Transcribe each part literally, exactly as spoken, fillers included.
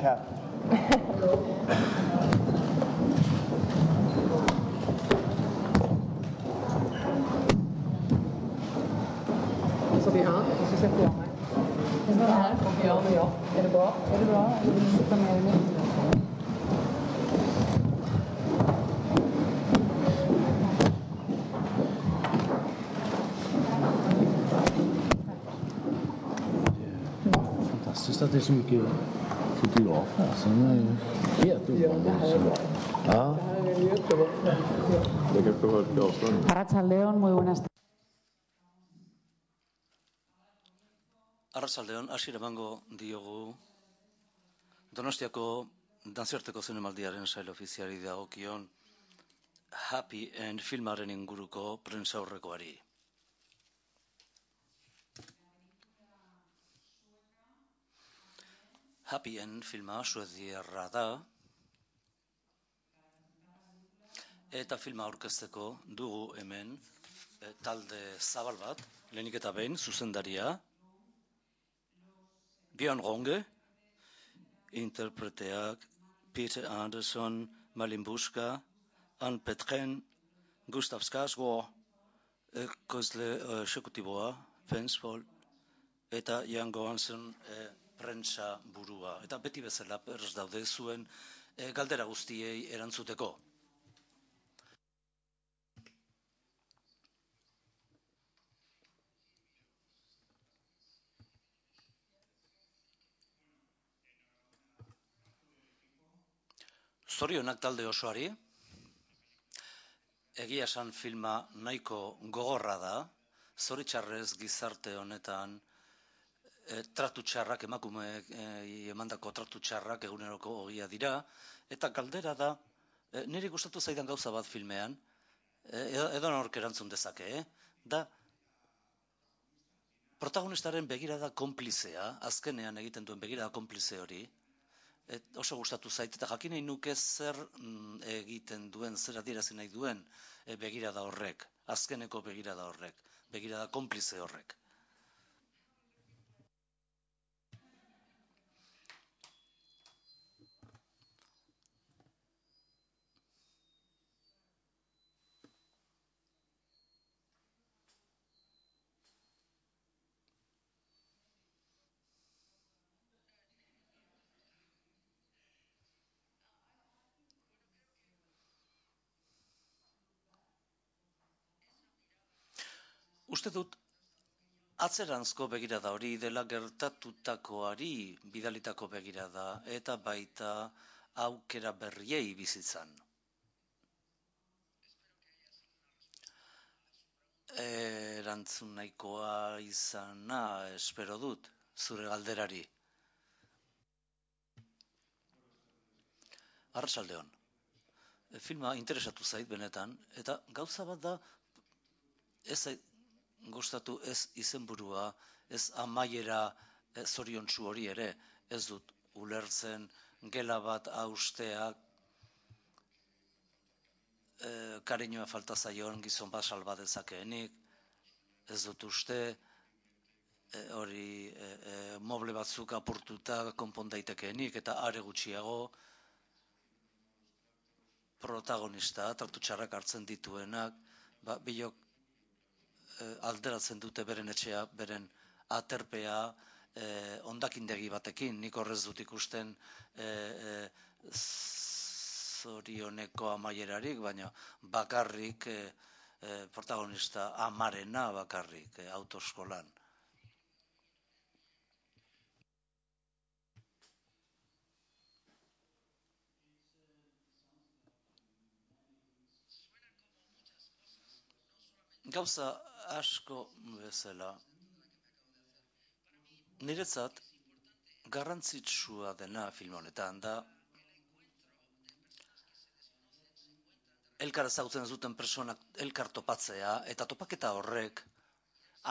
cat. Så vi har, och så sätter jag mig. Jag står här och gör det jag. Är det bra? Är det bra? Eller vill du sitta mer i mitten? Fantastiskt att det är så mycket fotografer. Alltså, de är ju helt ovanligt. Ja. Det här är ju jättebra. Det kan få höra ett avstånd. Arratsaldeon, muy buenas tardes. Arratsaldeon, hasiera emango diogu Donostiako Dantzarteko Zinemaldiaren sail ofiziari dagokion Happy End filmaren inguruko prentsaurrekoari. Happy End filma suediarra da, eta filma aurkezteko dugu hemen e, talde zabal bat, lehenik eta behin, zuzendaria, Björn Runge, interpreteak Peter Anderson, Malin Buska, Anne Petren, Gustav Skarsgård, ekoizle exekutiboa, Fensvold, eta Jan Gohansen e, prentsa burua. Eta beti bezala prest daude zuen e, galdera guztiei erantzuteko. Zorionak talde osoari, egia esan filma nahiko gogorra da, zoritxarrez gizarte honetan e, tratu txarrak, emakumeek e, emandako tratu txarrak eguneroko ogia dira, eta galdera da, e, niri gustatu zaidan gauza bat filmean, e, edo nork erantzun dezake, eh? da protagonistaren begirada konplizea, azkenean egiten duen begirada konplize hori, Et oso gustatu zait, eta jakin nahi nuke zer mm, egiten duen, zer adierazi nahi duen e, begirada horrek, azkeneko begirada horrek, begirada konplize horrek. Uste dut, atzeranzko begirada hori dela gertatutakoari bidalitako begirada eta baita aukera berriei bizitzan. Erantzun nahikoa izana, espero dut, zure galderari. Arratsaldeon. Filma interesatu zait benetan, eta gauza bat da, ez zait gustatu ez izenburua, ez amaiera ez zoriontsu hori ere, ez dut ulertzen gela bat hausteak e, kariñoa falta zaion gizon bat salba dezakeenik, ez dut uste e, hori e, e, moble batzuk apurtuta konpon daitekeenik, eta are gutxiago protagonista, tratu txarrak hartzen dituenak, ba, bilok alderatzen dute beren etxea, beren aterpea, eh, ondakindegi batekin, nik horrez dut ikusten eh, eh, zorioneko amaierarik, baina bakarrik eh, eh, protagonista amarena bakarrik eh, autoeskolan. Gauza asko bezala. Niretzat garrantzitsua dena film honetan da elkar ezagutzen zuten personak elkar topatzea eta topaketa horrek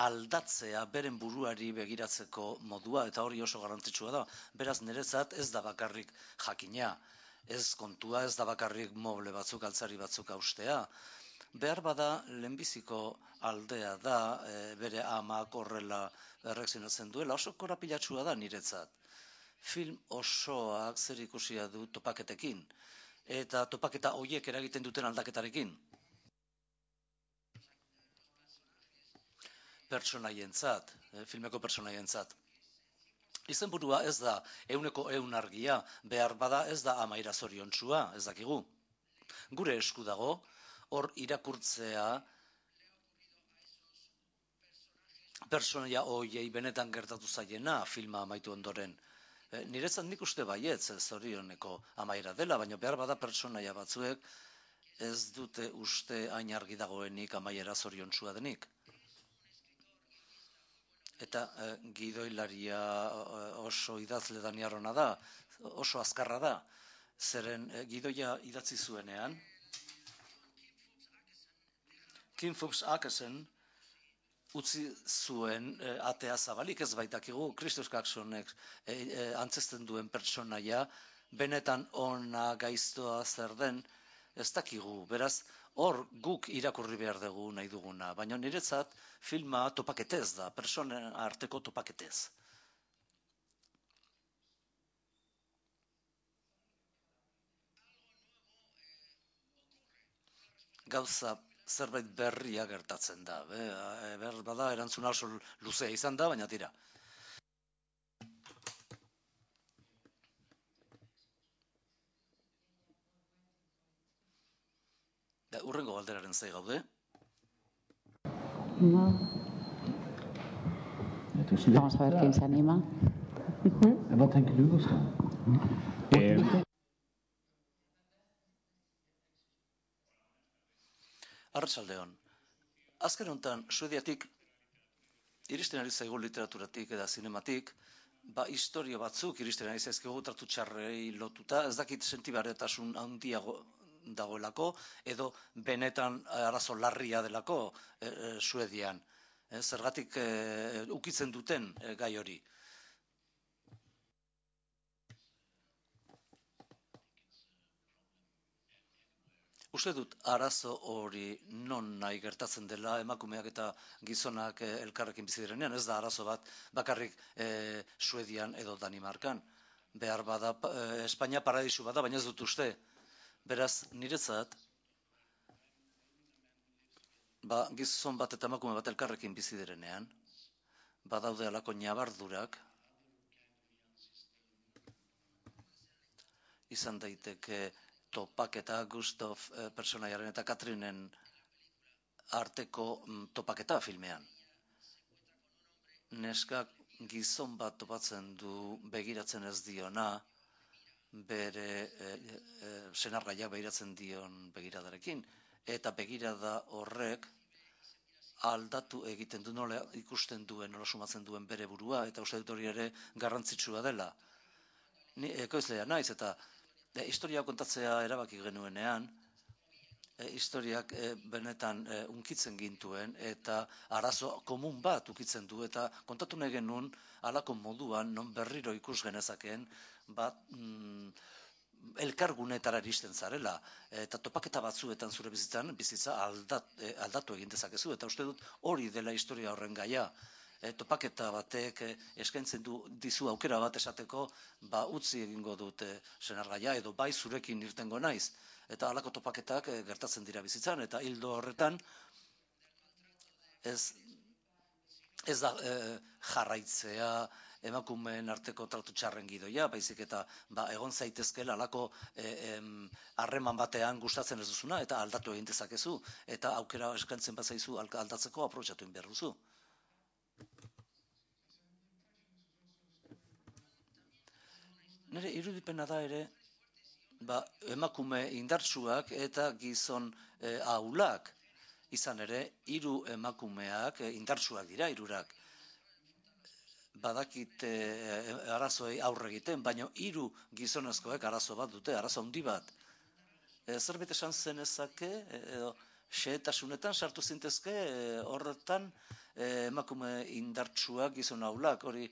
aldatzea beren buruari begiratzeko modua, eta hori oso garrantzitsua da. Beraz niretzat ez da bakarrik jakina, ez kontua, ez da bakarrik moble batzuk, altzari batzuk haustea. Behar bada lehenbiziko aldea da, e, bere amak horrela erreakzionatzen duela, oso korapilatsua da niretzat. film osoak zer ikusia du topaketekin, eta topaketa horiek eragiten duten aldaketarekin. Pertsonaientzat, filmeko pertsonaientzat. Izenburua ez da euneko eun argia, behar bada ez da amaira zoriontsua, ez dakigu. Gure esku dago, hor irakurtzea pertsonaia horiei benetan gertatu zaiena filma amaitu ondoren. E, niretzat nik uste baietz zorioneko amaira dela, baina behar bada pertsonaia batzuek ez dute uste hain argi dagoenik amaiera zoriontsua denik. Eta e, gidoilaria oso idazle daniarrona da, oso azkarra da, zeren e, gidoia idatzi zuenean, Kim Fuchs Akesen utzi zuen e, atea zabalik, ez baitakigu, Christos Kaksonek e, e, antzesten duen pertsonaia, benetan ona gaiztoa zer den, ez dakigu, beraz, hor guk irakurri behar dugu nahi duguna, baina niretzat filma topaketez da, pertsonen arteko topaketez. Gauza zerbait berria gertatzen da. Be, ber bada erantzuna oso luzea izan da, baina tira. Da, urrengo galderaren zai gaude. No. Vamos a ver quién se anima. En wat denken jullie dan? Arratsaldeon. Azken honetan, Suediatik, iristen ari zaigu literaturatik eta zinematik, ba, historio batzuk iristen ari zaizkigu tratu txarrei lotuta, ez dakit sentibarretasun handiago dagoelako, edo benetan arazo larria delako e, e, Suedian. E, zergatik e, ukitzen duten e, gai hori. Uste dut arazo hori non nahi gertatzen dela emakumeak eta gizonak e, elkarrekin bizi direnean, ez da arazo bat bakarrik e, Suedian edo Danimarkan. Behar bada, e, Espainia paradisu bada, baina ez dut uste. Beraz, niretzat, ba, gizon bat eta emakume bat elkarrekin bizi direnean, badaude alako ñabardurak, izan daiteke topaketa Gustav eh, personaiaren eta Katrinen arteko mm, topaketa filmean. Neskak gizon bat topatzen du begiratzen ez diona, bere eh, eh, senargaiak begiratzen dion begiradarekin, eta begirada horrek aldatu egiten du, nola ikusten duen, nola sumatzen duen bere burua, eta uste dut hori ere garrantzitsua dela. Ni ekoizlea naiz, eta e, historia kontatzea erabaki genuenean, e, historiak e, benetan e, unkitzen gintuen, eta arazo komun bat ukitzen du, eta kontatu nahi genuen, halako moduan, non berriro ikus genezakeen, bat, mm, elkargunetara iristen zarela, eta topaketa batzuetan zure bizitzan, bizitza aldat, eh, aldatu egin dezakezu, eta uste dut hori dela historia horren gaia. E, topaketa batek e, eskaintzen du dizu aukera bat esateko, ba utzi egingo dut e, senargaia, edo bai zurekin irtengo naiz. Eta halako topaketak e, gertatzen dira bizitzan, eta hildo horretan ez, ez da e, jarraitzea, emakumeen arteko tratu txarren gidoia, baizik eta ba, egon zaitezkela alako harreman batean gustatzen ez duzuna, eta aldatu egin dezakezu, eta aukera eskaintzen bazaizu aldatzeko aprobetxatu egin behar duzu. Nire irudipena da ere, ba, emakume indartsuak eta gizon e, ahulak, izan ere, hiru emakumeak e, indartsuak dira, hirurak. Badakite e, arazoei aurre egiten, baina hiru gizonezkoek arazo bat dute, arazo handi bat. E, zerbait esan zenezake, edo xehetasunetan sartu zintezke, e, horretan e, emakume indartsuak gizon ahulak, hori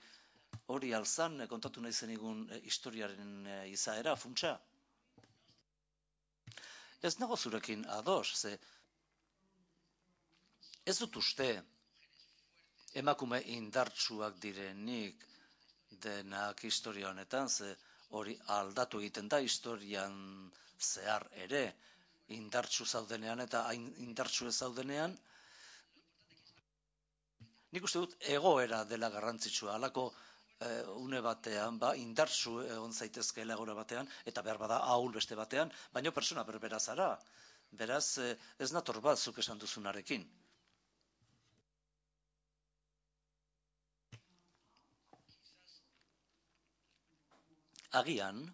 hori alzan, e, kontatu nahi zenigun e, historiaren e, izaera, funtsa. Ez nago zurekin ados, ze ez dut uste emakume indartsuak direnik denak historia honetan, ze hori aldatu egiten da historian zehar ere, indartsu zaudenean eta hain indartsu ez zaudenean. Nik uste dut egoera dela garrantzitsua, halako eh, une batean, ba, indartsu egon zaitezkeela egoera batean, eta behar bada ahul beste batean, baina persona berbera zara. Beraz, eh, ez nator bat zuk esan duzunarekin. Agian,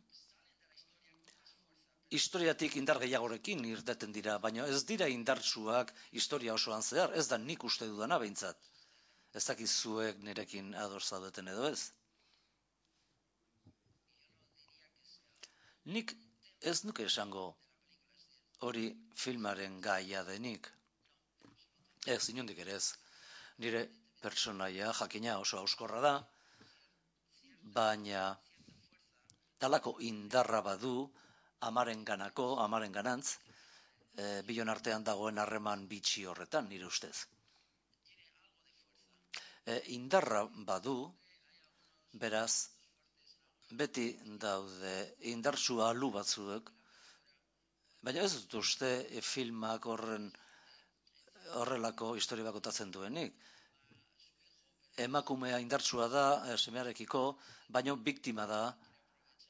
historiatik indar gehiagorekin irteten dira, baina ez dira indartsuak historia osoan zehar, ez da nik uste dudana behintzat. Ez dakizuek nirekin ados zaudeten edo ez. Nik ez nuke esango hori filmaren gaia denik. Ez, inondik ere ez. Nire pertsonaia jakina oso auskorra da, baina talako indarra badu amaren ganako, amaren ganantz, e, bion artean dagoen harreman bitxi horretan, nire ustez. E, indarra badu, beraz, beti daude indartsu alu batzuek, baina ez dut uste e, filmak horren horrelako historia bakotatzen duenik. Emakumea indartsua da e, semearekiko, baina biktima da,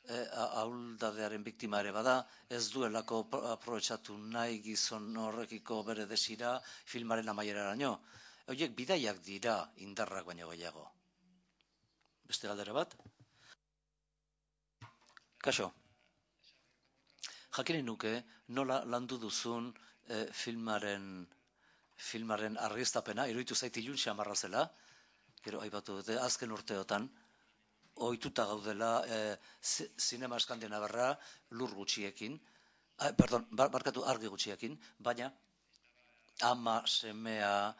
e, ahuldadearen biktima ere bada, ez duelako aprobetxatu nahi gizon horrekiko bere desira filmaren amaieraraino. Horiek bidaiak dira indarrak baino gehiago. Beste galdera bat? Kaixo. Jakin nuke nola landu duzun e, filmaren filmaren argiztapena, iruditu zait ilun xamarra zela, gero aipatu dute, azken urteotan, ohituta gaudela e, zinema eskandinavarra lur gutxiekin, ah, pardon, barkatu argi gutxiekin, baina ama semea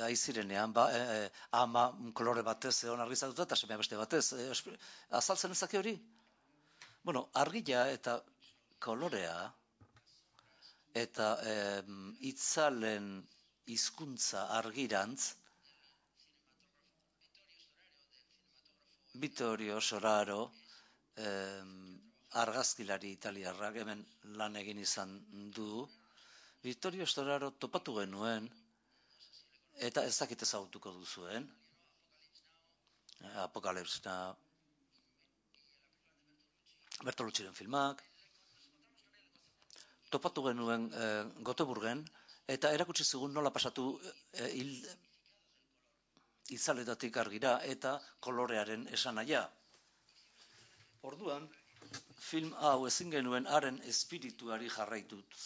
aizirenean, ba, e, ama kolore batez egon argizatuta eta semea beste batez. E, azaltzen ezake hori? Bueno, argia eta kolorea eta e, itzalen hizkuntza argirantz Vittorio Storaro eh, argazkilari italiarrak hemen lan egin izan du. Vittorio Storaro topatu genuen eta ez dakit ezagutuko duzuen. Apokalips Now, Bertolucciren filmak. Topatu genuen eh, Göteborgen eta erakutsi zigun nola pasatu eh, hil, izaletatik argira eta kolorearen esanahia. Orduan, film hau ezin genuen haren espirituari jarraitut.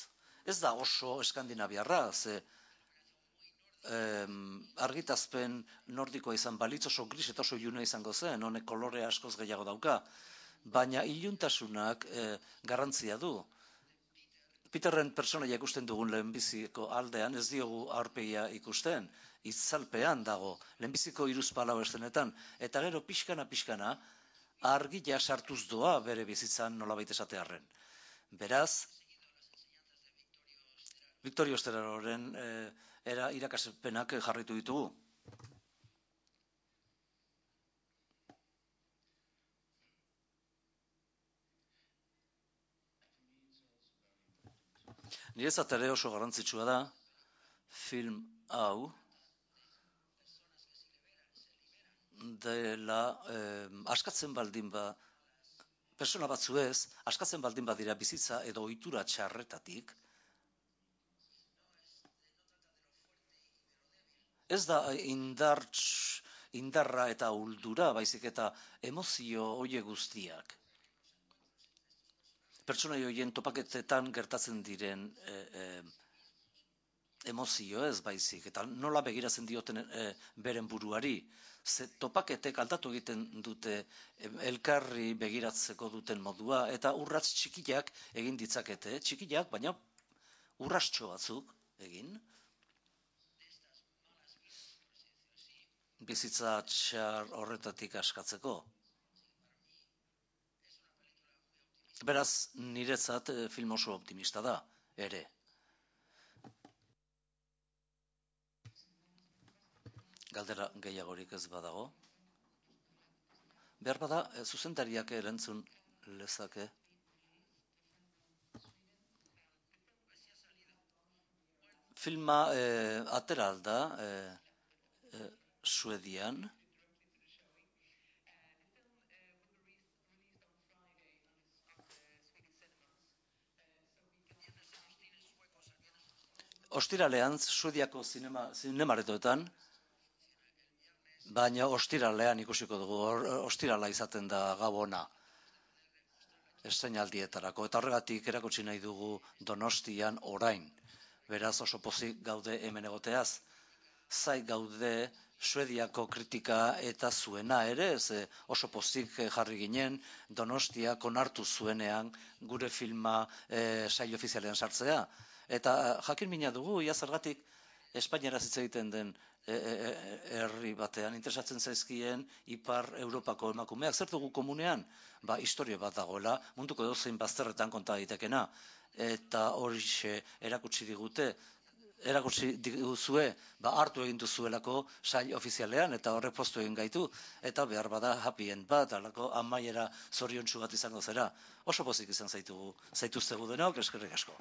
Ez da oso eskandinaviarra, ze em, argitazpen nordikoa izan balitz oso gris eta oso iluna izango zen, honek kolore askoz gehiago dauka, baina iluntasunak eh, garrantzia du. Peterren pertsonaia ikusten dugun lehenbiziko aldean ez diogu aurpegia ikusten, itzalpean dago, lehenbiziko hiruzpalau estenetan, eta gero pixkana pixkana argia sartuz doa bere bizitzan nolabait esatearren. Beraz, Vittorio Storaroren eh, era irakaspenak jarritu ditugu. Niretzat ere oso garrantzitsua da film hau dela eh, askatzen baldin ba persona batzuez, askatzen baldin badira bizitza edo ohitura txarretatik, ez da indartz, indarra eta uldura, baizik eta emozio hoie guztiak. Pertsonai horien topaketetan gertatzen diren e, e, emozio ez baizik, eta nola begiratzen dioten e, beren buruari. Ze topaketek aldatu egiten dute elkarri begiratzeko duten modua, eta urrats txikiak egin ditzakete, txikiak, baina urrastxo batzuk egin. Bizitza txar horretatik askatzeko. Beraz, niretzat film oso optimista da, ere. Galdera gehiagorik ez badago. Behar bada, zuzendariak erantzun lezake. Filma eh, atera alda eh, eh, Suedian. Ostiralean, Suediako zinema, zinemaretoetan, baina ostiralean ikusiko dugu, ostirala izaten da gabona estreinaldietarako, eta horregatik erakutsi nahi dugu Donostian orain. Beraz oso pozik gaude hemen egoteaz, zai gaude Suediako kritika eta zuena ere, ze oso pozik jarri ginen Donostiak onartu zuenean gure filma e, sail ofizialean sartzea. Eta jakin mina dugu, ia zergatik Espainiara hitz egiten den herri batean interesatzen zaizkien Ipar Europako emakumeak, zer dugu komunean? Ba, historia bat dagoela, munduko edozein bazterretan konta daitekena. Eta horixe erakutsi digute, erakutsi diguzue, ba, hartu egin duzuelako sail ofizialean, eta horrek postu egin gaitu, eta behar bada happy end bat, alako amaiera zoriontsu bat izango zera. Oso pozik izan zaitugu, zaituztegu denok, eskerrik asko.